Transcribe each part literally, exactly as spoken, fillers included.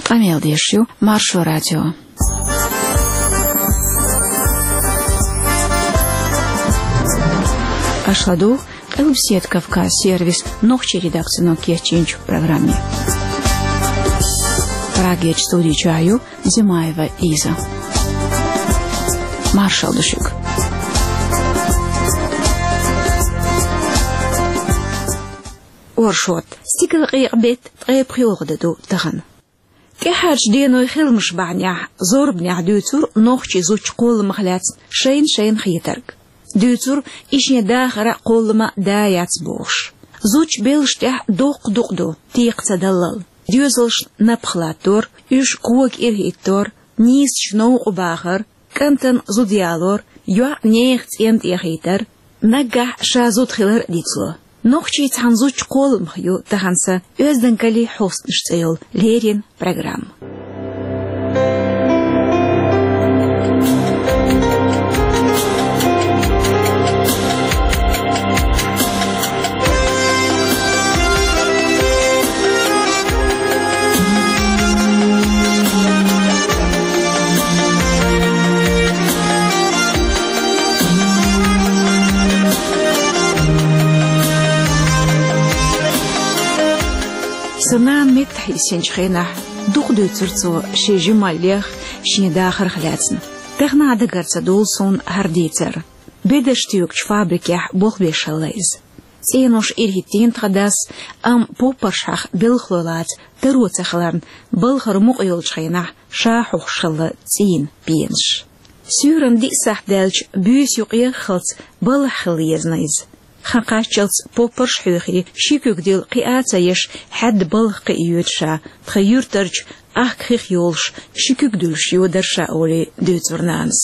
Къамел деш ю Маршо радио. Аша ладугӀу Къилбаседа Кавказ сервисан нохчийн редакцино кечйинчу программе. Прагерчу студи чохь ю Зимаева Иза. Маршалла ду шуьга. Оршот. Стигалкъекъа беттан ткъе пхоьалгӀа де ду тахана. ТӀаьхьарчу денойн хиламаш бахьанехь, зорбанехь дуьйцура нохчийн зудчун кхолламах лаьцна шайна-шайна хетарг. Дуьйцура, и шен дахар а, кхоллам а да яц бохуш. Зудчун белшаш тӀехь доккха дукъ ду, текха ца даллал. Доьзалшна напха латтор, уьш кога ирахӀиттор, нийсачу новкъа бахар, кӀантана зуда ялор, йоӀ нехан цӀен тӀе яхийтар, наггахь ша зуда хилар а дицло. Нохчийн цхьана зудчун кхолламах ю тахана сан «Оьздангаллин хьостанаш» цӀе йолу леррина программа. Сан нана меттахь йисинчу хенахь, дукха дуьйцура цо шен жималлех, шен дахарх лаьцна. Тахана а дагара ца долу суна хӀара дийцар. Бедарш тоьгучу фабрикехь болх беш хилла иза. ЦӀенош ирахӀиттийна тхан дас, амма поппаршхьех белхалой лаца таро ца хиларна, балхара мукъа йолчу хенахь ша хьоьхуш хилла цӀийнан пенаш. Суьйранна диъ сахьт даьлча, буьйса юкъа еххалц балхахь хила езна иза. Хан кхаччалц поппарш а хьоьхий, ши куьг дилла кхиа а ца еш, хьаьдда балха кхиа йоьду ша, тхан юьртарчу ахка хих йолуш, ши куьг дуьллуш йодара ша олий, дуьйцура нанас.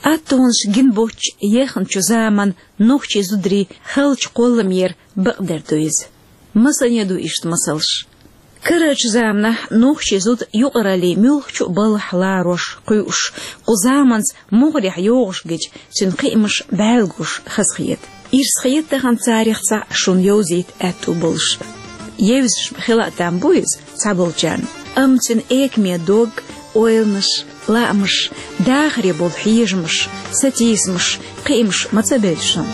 Аттонаш гина боцчу ехначу заманан нохчийн зударийн халчу кхолламера бакъдерг ду иза. Масане ду иштта масалш. Карарчу заманахь нохчийн зуда юкъараллин муьлххачу а балхахь ларош, кхуьуш, кху заманца могӀарехь йогӀуш гича, цуьнан кхиамаш бӀаьрла гуш хазахета. Ирс хета тахана царех цхьаъ шуна йовзийта аьтту болуш. Евзаш хила а там бу иза цхьаболчарна, амма цуьнан экаме дог, ойланаш, лаамаш, дахаре болу хьежамаш, сатийсамаш, кхиамаш ма ца бевза шуна.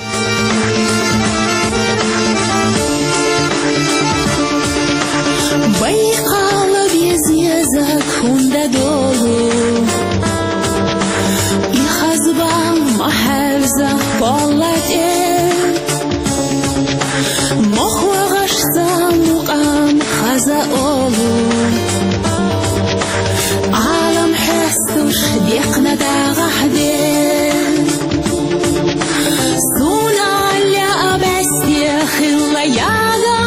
Байкъал беза еза хӀунда долу, и хазбан ма хьаьвза кхолла тӀе. Мохк вахаш сан мукъам хаза олу, Ӏалам хьестуш декхна дагӀахь де. Суна лаьа бӀаьсте хилла яга,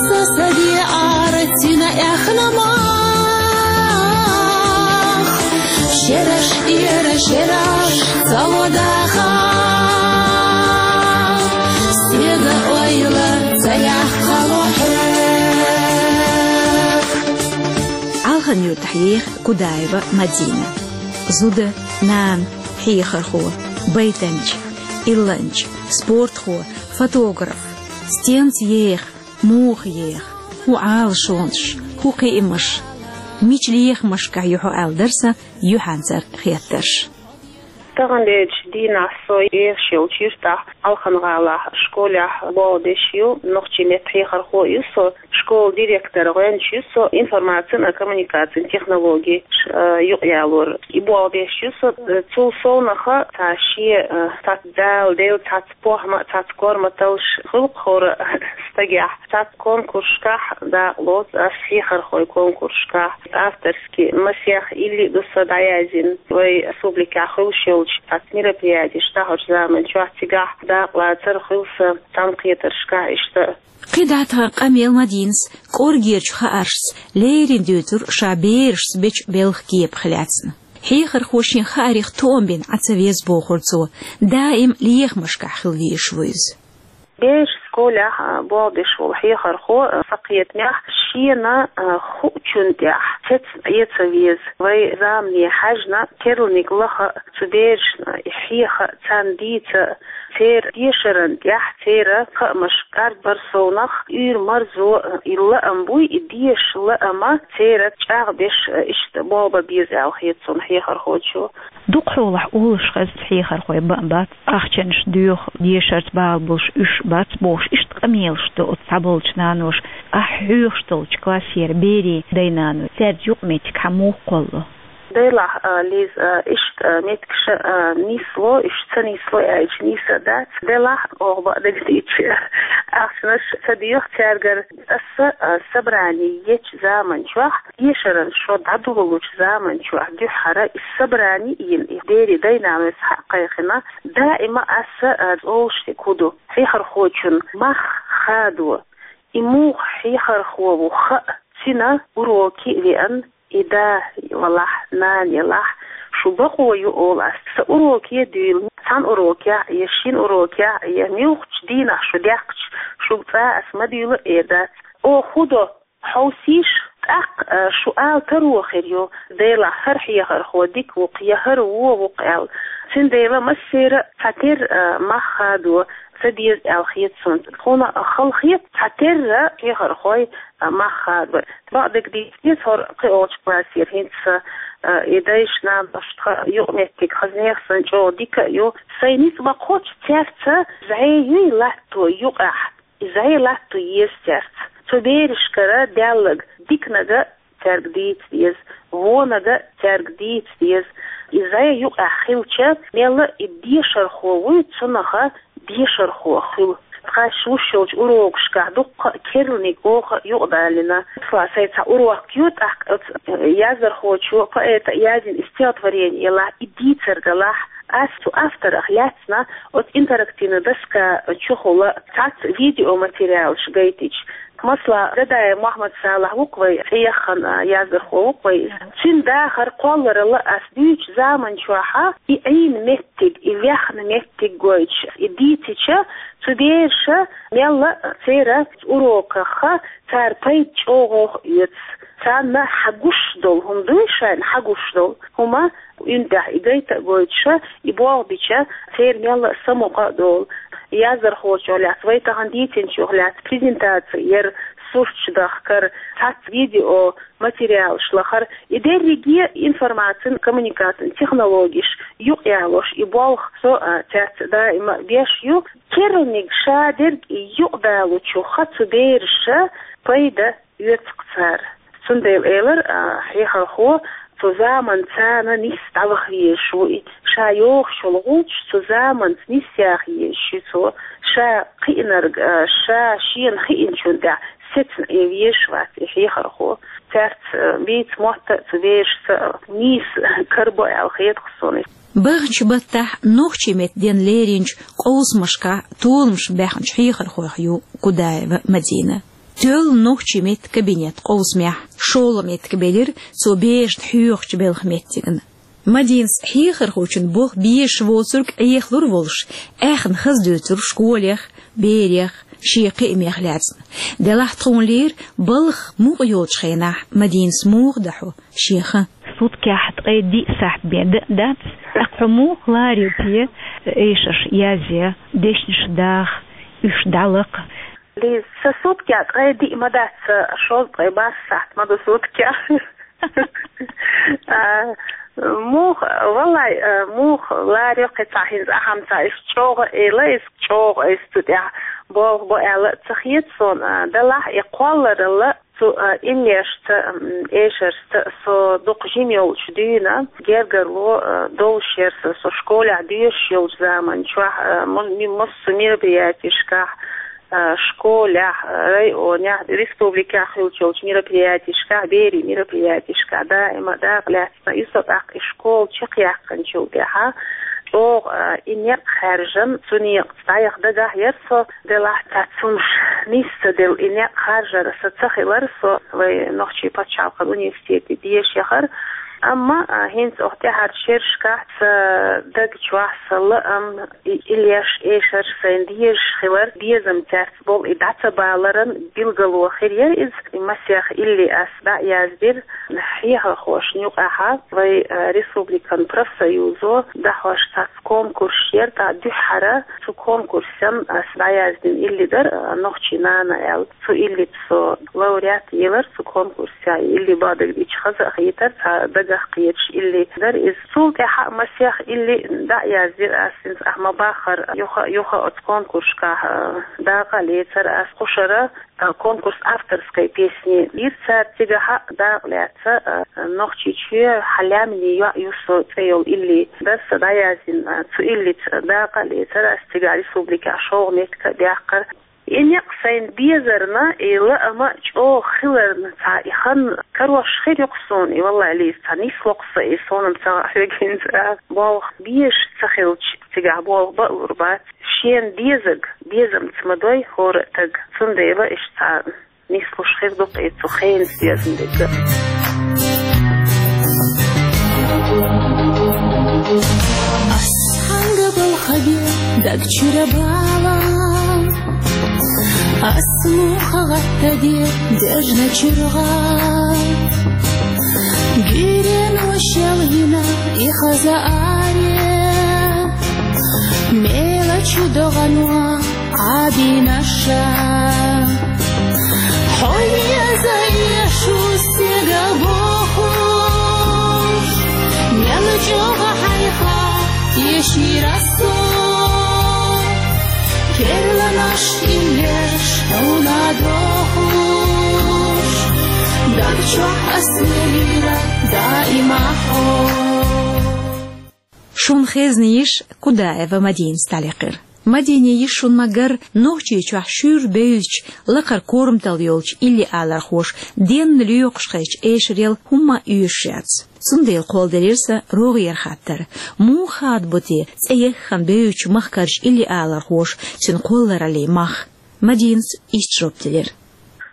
со сан де арцина эхна мах. Шераш тӀера шераш ца водаха, стеган ойла ца яккхало хьоьга. Алхан-Юьртахь еха Кудаева Мадина. Зуда, нана, хьехархо, байтанча, илланча, спортхо, фотограф. Стенца еха, муха еха, хӀун Ӏалашонаш, хӀун кхиамаш, мича лехамашкахь ю хьо аьлла дара сан юьхьанцара хеттарш. Таханлерчу дийнахь со ехаш йолчу юьртахь, Алхан-гӀалахь, школехь болх беш ю, нохчийн меттан хьехархо а ю со, школан директор гӀоьнча ю со, информацин а коммуникацин технологеш, э, юкъаялор. И болх беш ю со, э, цул совнаха цхьа шен, э, цхьацца Дала делла цхьацца похӀма а, цхьацца корматаллаш хуьлу хӀора стагехь. Цхьацца конкурсашкахь дакъа лоцу ас, хьехархойн конкурсашкахь. Авторский масех илли а ду сан дӀаяздина. Вайн республикехь хуьлуш йолчу цхьацца мероприятеш дӀахьочу заманчохь цигахь дакъа лацар хуьлу сан цхьаьнакхетаршкахь иштта. КхидӀа тхан къамел Мадинас кӀоргерчу хааршца леррина дуьйцура ша берашца бечу белхан кепах лаьцна. Хьехархо шен хаарих тоам бина Ӏа ца веза, бохура цо, даим лехамашкахь хила везаш ву иза. Берашца школехь, а, болх беш волу хьехархо, а, сан кхетамехь, шена, а, хуучун тӀехь цецна Ӏе ца веза. Вай замане хьаьжна, керланиг лаха цу берашна, и хьеха, царна дийца, церан дешаран тӀехь, церан хаамаш кӀаргбар совнах, уьйр-марзо, а, и лаам буй, и дешан лаама церан чӀагӀбеш, а, иштта болх бан беза аьлла хета суна хьехархочо. Дукха хьолахь олуш хезна хьехархой бан бац, ахчанаш доьху, дешарца бала болуш уьш бац бохуш, иштта къамелаш до оцу цхьаболчу наноша. Ахь хьоьхуш долчу классера берийн дай-наной, цаьрца юкъаметтиг хьан муха кхолло? Делахь, а, Лиза, а, иштта, а, меттигаш, а, нисло, уьш ца нисло аьлча нийса дац. Делахь, оха бакъдерг дийцича, ахчанаш ца доьху цаьргара. Аса, а, собрани ечу заман чохь, дешаран шо дӀадолучу заман чохь дуьххьара и собрани йина, и берийн дай-наной схьа а кхайкхина, даима аса, а, олуш дерг хӀун ду: хьехархочун мах хадо, и муха хьехархо ву хаа, цуьнан уроки веана, и да валахь, нана елахь, шу бакъо ю, олу ас, сан уроке дуьйла, цхьана урокехь а, я шина урокехь а, я муьлххачу дийнахь шу даьхкича, шуьга цкъа ас ма дуьйла а эр дац. Оха хӀун до, хьовсийша, тӀаккха, а, шу ала таро хир ю, делахь, хӀара хьехархо дика ву-кх я хӀара вон ву-кх аьлла. Цундела массеран а цхьатерра, а, мах хадо ца деза аьлла хета суна. Тхуна хала хета цхьатерра хьехархой, а, мах хадо. Бакъдерг дийцича, хӀора кхиолчу классера хӀинца, а, и дайша-наношна тхан юкъаметтиг хазанех санна чӀогӀа дика а ю. Сайн ницкъ ма-кхоччу, цаьрца зӀе юй латто юкъахь. И зӀе латто еза цаьрца. Цу берашкара даьлларг диканиг а цаьрга дийца деза, вониг а цаьрга дийца деза. И зӀе юкъахь хилча, мелла а и дешархо вуй, цунах дешархо хуьлу. Тхаьш луш йолчу урокашкахь дуккха а керланиг оха юкъадалийна. Цкъа сайн цхьа урок ю, тӀаккха оцу яздархочо поэта яздина и стихотворение елахь, и дийцар делахь, ас цу авторах лаьцна оцу интерактивна доска чухула цхьацца видеоматериалаш гайтича. Масала, Дадаев Мохьмад-Салахь ву-кх вай цӀеяххана, а, яздархо ву-кх вай иза. Цуьнан дахар кхолларалла ас дуьйцучу заман чохь и Ӏийна меттиг, и ваьхна меттиг гойтуш, и дийцича, цу бераша мелла а церан уроках цара пайда чӀогӀа оьцу. Царна хьан гуш долу хӀума дуй, шайна хьан гуш долу хӀума, уьн тӀехь и гайта а гойтуша, и болх бича, церан мелла а самукъа а долу. Яздархочух лаьцна, вай тахана дийцинчух лаьцна презентаци яр, сурташ дахкар, цхьацца видео материалаш лахар, и дерриге информацин, коммуникацин технологеш юкъаялош, и болх со, а, цаьрца даима а беш ю. Керланиг ша дерг юкъадалучуха цу бераша пайда оьцу-кх цара. Цундела элира, а, хьехархо, цу заманца нисса дӀаваха везаш ву и, ша йохуш йолу гӀулчаш цу заманца нисъяха езаш ю цо, ша кхиънарг, а, ша шена хиъначун тӀехь сецна Ӏе везаш вац и хьехархо. Цаьрца, а, бийца мотт а, цу берашца а нийса карабо аьлла хета-кх суна. Баханчу баттахь нохчийн меттан денна леринчу къовсамашкахь толамаш баьхначу хьехархойх ю Кудаева Мадина. Тоьлла нохчийн меттан кабинет къовсамехь шолгӀа меттиг белира цо берашна хьоьхучу белхан меттигна. Мадинас хьехархочун болх безаш воцург Ӏехалур волуш, аьхна хаза дуьйцур школех, берех, шен кхиамех лаьцна. Делахь тхуна лийра балха мукъа йолчу хенахь Мадинас муха дахьо шен хан. Суткехь ткъе диъ сахьт бен дан а дац, тӀаккха хьо муха ларийла те, эшарш язъе, дешнаш даха, уьш дӀалакха? Лиза, сан суткехь ткъе диъ ма дац, сан шовзткъе бархӀ сахьт ма ду суткехь. А, муха, валлай, а, муха ларийла кхин цхьа хӀинца ахьа-м цхьа, иза чӀогӀа а эла, иза чӀогӀа, иза цу тӀехь болх бо аьлла а ца хета суна, а, делахь и кхолларалла цу, а, иннешца, м, эшаршца со дукха жима йолчу дуьйна, гергарло, а, долуш яра сан, со школехь доьшуш йолчу заман чохь, а, мо-, ми-, массо мероприятешкахь, а, школехь, а, районехь, республикехь хуьлуш йолчу мероприятешкахь, берийн мероприятешкахь даима дакъа лаьцна. И со тӀаккха и школа чекхъяьккхинчул тӀаьхьа чӀогӀа, а, и некъ хаьржина, цу некъаца дӀаяха дагахь яра со, делахь цхьацца хӀумнаш нисса делла и некъ харжар сан ца хилар, со вай нохчийн пачхьалкхан университете деша яхар. Амма, а, хӀинца оха тӀаьхьарчу шерашкахь сан даг чохь сан лаам, и, иллеш эшар, сайн дезаш хилар, безам цаьрца болу и дӀа ца баларан билгало хир яра иза. И масех илли ас дӀа а яздира хьехархошна юкъахь, вай, а, республикан профсоюзо дӀахьош цхьацца конкурс яра, тӀаккха дуьххьара цу конкурсан ас дӀаяздина илли дара, а, «Нохчийн нана» аьлла. Цу иллица со лауреат елар цу конкурсехь. Илли бадуьйцуш хаза а хетара, цхьа дагах кхеташ илли дара иза. Цул тӀаьхьа а масех илли дӀа а яздира ас, хӀинца ахь ма-баххара, юха а, юха а оцу конкурсашкахь, а, дакъа а лецара ас кхушара, а, конкурс авторской песни. Ира цара цигахь а дакъа лаьцна, а, «Нохчийчоь, хьан лаьмнийн йоӀ ю со» цӀе йолу илли дара сан дӀаяздина, а, цу иллица дакъа а лецара ас цигахь республикехь шолгӀа меттиг а баьккхира. И некъ сайн безарна, и лаам а чӀогӀа хиларна, цхьа и хан карош хир ю-кх суна, и валлай, Лиза, цхьа нисло-кх сан и, суна-м ца хаьа хьоьга хӀинца а. Болх безаш ца хилча, цигахь болх бан а лур бац. Шена дезарг безамца ма дой хӀора а стаг, цундела иштта цхьа нислуш хир ду-кх и цу хенан доьзна дерг а. Ас хьанга балхаде даг чуьра бала, ас муха гӀаттаде дежна чуьра гӀа. Гирен вашал йина и хаза аре, мела чу догӀанва Ӏадинаша. Хьо еза ешу стегал бохуш, мел чӀогӀа хьайха тешира со. Керланаш иллеш хьуна дохуш, даг чохь ас лелийра даима хьо. Шун хезна йиш Кудаева Мадинас дӀалекхира. Мадине йиш шун ма-гарра, Нохчийчохь шуьйра бевзачу лакхара корматалла йолчу илли-алархоша денна лоькхуш хезча эшарел хӀумма а оьшуш яц. Цундела кхолладелира сан рогӀера хаттар: муха хадабо те цӀе яххана бевзачу махкарчу илли-алархоша цуьнан кхоллараллин мах? Мадинас иштта жоп делира.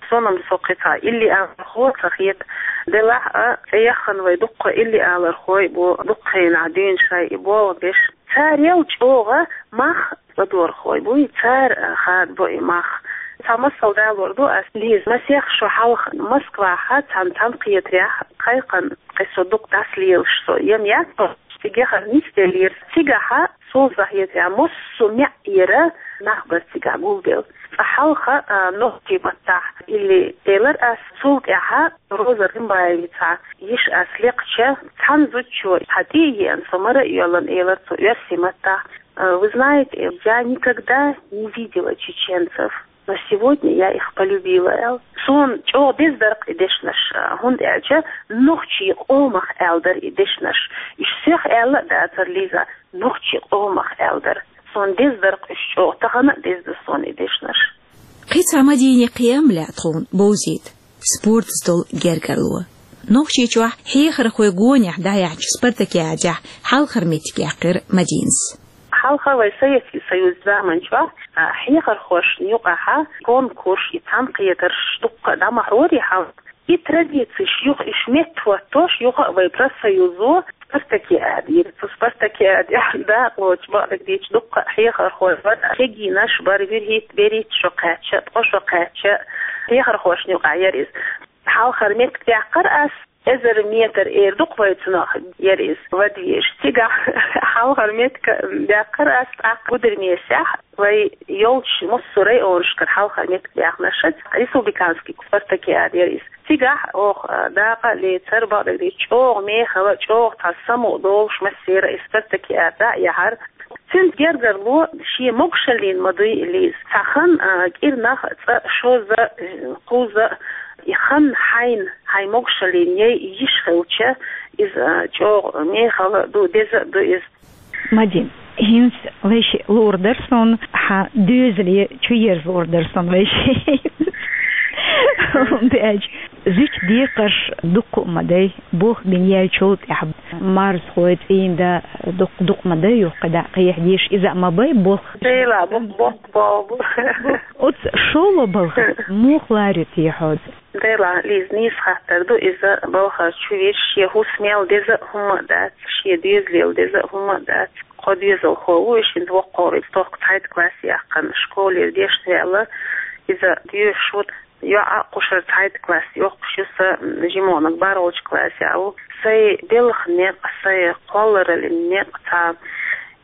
Суна-м со кхин цхьа илли-алархо ца хета, делахь а, цӀе яххана вай дуккха илли-алархой бу, дуккха хенахь дуьйна шайн и болх беш. Царел чӀогӀа мах ладорхой буй, цара, а, хадабо и мах. Цхьа масал далор ду ас, Лиза, масех шо хьалха Москвахь цхьана цхьаьнакхетарехь кхайкхина, кхин со дукха дӀасалелаш со, ям яц, цигахь нисделлера. Цигахь, суна сан хетарехь, массо а маьӀӀера нах бара цигахь гулделла. Цкъа хьалха, а, нохчийн маттахь илли элира ас, цул тӀаьхьа Роза Рымбаевицан йиш ас лекхча, цхьана зудчо, цхьа тӀе а еана, со мара а йоьллина, элира цо оьрсийн маттахь: «А, вы знаете, я никогда не видела чеченцев, но сегодня я их полюбила», — аьлла. Суна чӀогӀа деза дара-кх и дешнаш, а, хӀунда аьлча нохчийн къомах аьлла дара и дешнаш. Уьш сох аьлла а дацара, Лиза, нохчийн къомах аьлла дара. Суна деза дара-кх уьш чӀогӀа, тахана а деза ду суна и дешнаш. Кхин цхьа Мадинин кхиам лаьа тхуна бовзийта: спортаца долу гергарло. Нохчийчохь хьехархойн гонехь дӀаяьхьначу спартакиадехь хьалхара меттиг яьккхира Мадинас. Хьалха вай Советский Союзан заманчохь, а, хьехархошна юкъахь конкурс и цхьаьнакхетарш дуккха а дӀа ма хьорий хьалха. И традицеш юха, уьш меттахӀоттош, юха а вай профсоюзо спартакиада йира. Цу спартакиадехь дакъа лоцуш, бакъдерг дийцича, дуккха а хьехархой бара, кегийнаш бара, вуьрхӀитта, берхӀитта шо кхаьчна, ткъа шо кхаьчна, хьехархошна юкъахь яра иза. Хьалхара меттиг даьккхира ас, эзар метр эр ду-кх вай, цунах яра иза, вад везаш. Цигахь хьалхара меттиг даьккхира ас, тӀаккха Гудермесехь, вай йолчу массо а районашкара хьалхара меттиг даьхнарш, республиканский спартакиада яра иза. Цигахь оха, а, дакъа а лецира, бакъдерг дийцича, чӀогӀа мехала, чӀогӀа цхьа самукъадолуш массеран и спартакиада дӀа а яьхьира. Цуьнца гергарло шен могушаллина ма дуй, Лиза. Цхьа хан, а, кӀирнах цкъа, шозза, кхузза, и хан хьайна, хьайн могушаллина яй йиш хилча, иза, а, чӀогӀа мехала а ду, деза а ду иза. Мадин, хӀинца вайшиъ луур дара суна, хьан доьзале чуерза луур дара суна вайшиъ. ХӀунда аьлча зуьтан декхарш дуккха а ма дай, болх бина яьллачул тӀаьхьа марзхой, цӀийнда дуккха, дуккха ма дай юха кхидӀа кхехьа дезаш, иза а ма бай болх. Шийла бу-, бу-, бу-, бу-, Оцу шолгӀа балхах муха ларийти хьоьца? Делахь, Лиза, нийса хаттар ду иза, балхара чу веш, шен хӀусамел деза а хӀума а дац, шен доьзалел деза а хӀума а дац. Кхо доьзалхо ву, и шинна воккхо ву, тохка цхьайтта класс яьккхина, школера дешна ваьлла, иза доьшуш ву, йоӀ а кхушара цхьайтта класс йоккхуш ю, са жимонаг бархӀолча классехь ву. Сайн делха некъ, сайн кхоллараллин некъ цхьа.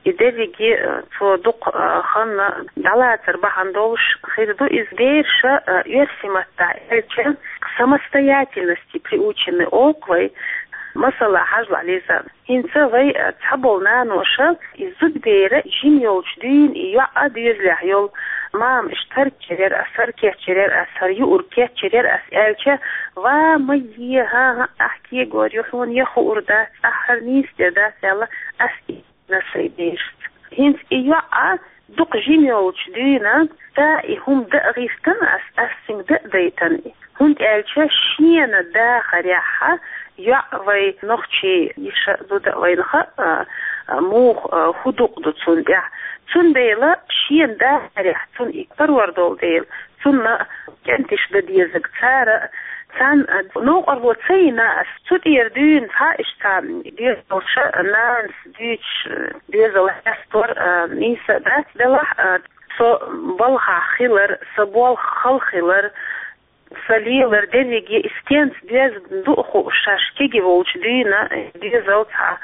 И дерриге, э, цо дукха, э, ханна дӀалацар бахьана долуш хир ду иза. Бераша, э, оьрсийн маттахь аьлча, к самостоятельности приучены олу вай. Масала, хьажал, Лиза, хӀинца вай, э, цхьаболу наноша и зудабер жима йолчу дуьйна и йоӀ а доьзалехь йолу, мама, иштта хӀара кечйира ас, хӀара кечйира ас, хӀара юург кечйира ас аьлча, ва, ма е, хӀан-хӀа, ахь кегор ю, хьуна я хуур дац, ахь хӀара нийса дер дац аьлла, ас и на сайн берашца. ХӀинца и йоӀ а дукха жима йолчу дуьйна, да, и хӀума дан а гӀиртина ас, ас цуьнга дан а дайтина и. ХӀунда аьлча шена дахарехь йоӀ, вай нохчийн йиша а, зуда а вайна хаьа, а, а, муха, а, хӀун дукъ ду цунна тӀехь. Цундела шена дахарехь цунна и карор долу дела, цунна кӀентий дан дезарг цара, царна, а, новкъарло ца йина ас, цу тӀера дуьйна цхьа иштта доьзалша, нанас дуьйцуш, доьзал хьестор, а, нийса а дац делахь, а, со балхахь хилар, сан болх хала хилар, сан лелар дерриге и стенца доьзна ду а хууш, шаьш кегий волчу дуьйна, доьзал цхьа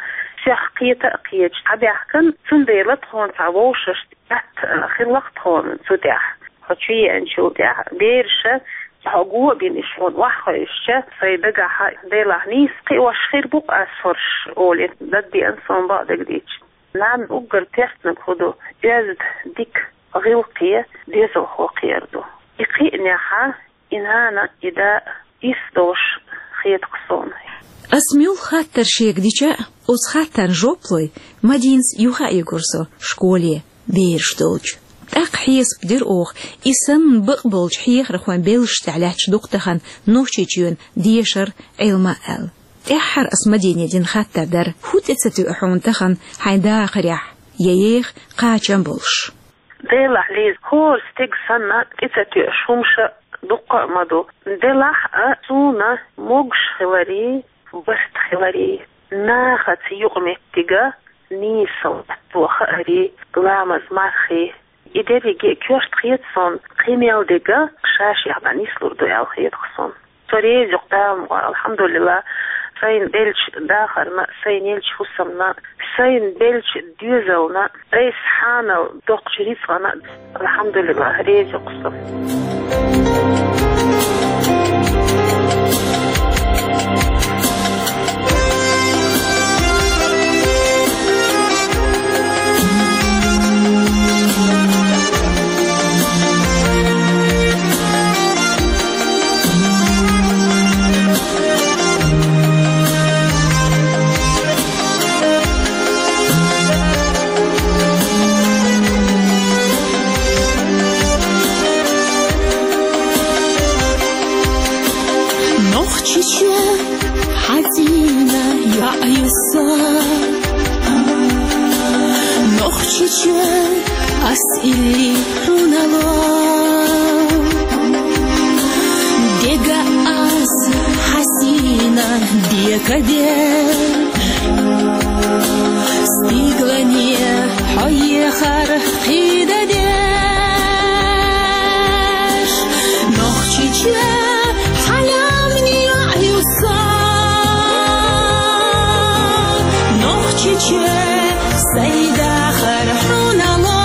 сох кхета а кхеташ дӀабаьхкина, цундела тхуна цхьа вовшашца атта хилла-кх тхуна цу тӀехь. Хьо чу еанчул тӀаьхьа бераша хьо го а бина, иштта хьуна охьахевшича, сайн дагахь, делахь, нийса кхиош хир бу-кх ас хӀорш, олий, дагадеана суна бакъдерг дийцича. Нанна уггар тешнарг хӀун ду, оьзда, дика, гӀиллакхе доьзалхо кхиар ду. И кхиънехь и нана, и да а ирс долуш хета-кх суна. Ас муьлхха хаттар шега дича а, оцу хаттарна жоп лой Мадинас юха а йигура со школе, бераш долчу. ТӀаккха хьесап дира оха, и санна бакъболчу хьехархойн белшаш тӀехь лаьтташ ду-кх тахана Нохчийчоьнан дешар, Ӏилма аьлла. ТӀаьххьара ас Мадине дина хаттар дара: хӀун тӀе ца тоьа хьуна тахана хьайн дахарехь, я еха, кхачам болуш? Делахь, Лиза, хӀора стеган санна тӀе ца тоьаш хӀумаш дуккха а ма ду. Делахь а, суна могуш хиларий, барт хиларий, нахаца юкъаметтига нийса латто хаарий, ламаз, мархий, и дерриге а коьрта хета суна, кхин мел дерг а ша-шех дӀа нислур ду аьлла хета-кх суна. Со реза ю-кх Дала мукъ лахь, алхьамдулиллахӀ, сайна деллачу дахарна, сайна еллачу хӀусамна, сайна беллачу доьзална, айса хьанал доккхучу рицкъана, алхьамдулиллахӀ, реза ю-кх со. Нохчийчоь хьан цӀийнан йоӀ ю со? Нохчийчоь ас илли хьуна ло? Дега аз хьан сийна декабер, стиглане хьо ехар кхийда деш. Нохчийчоь хьан лаьмнийн йоӀ ю со? Нохчийчоь сайн дахар хьуна ло?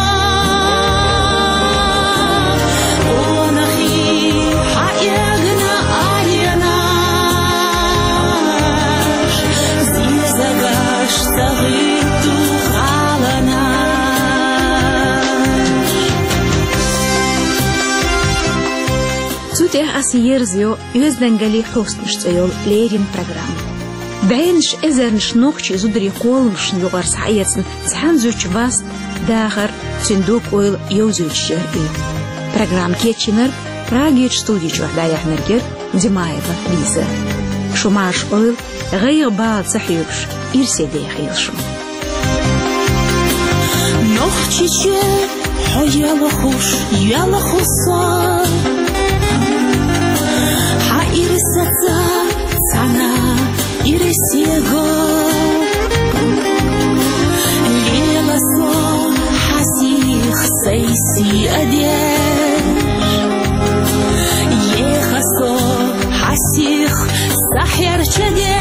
Къонахий хьан эгна аренаш, зезагаш ца гӀуьтту халанаш. Цу тӀехь ас ерзайо «Оьздангаллин хьостанаш» цӀе йолу леррина программа. БӀеннаш эзарнаш нохчийн зударийн кхолламашна юкъара схьаэцна цхьана зудчун васт, дахар, цуьнан дог-ойла йовзуьйтуш яра и. Программа кечйинарг, Прагерчу студи чохь дӀаяьхьнарг яра Димаева Лиза. Шу марша Ӏойла, гӀайгӀа, бала ца хьоьгуш, ирсе дехийла шу. Нохчийчоь хьо ялхуш, ялху со. Хьан Сахьер чедиз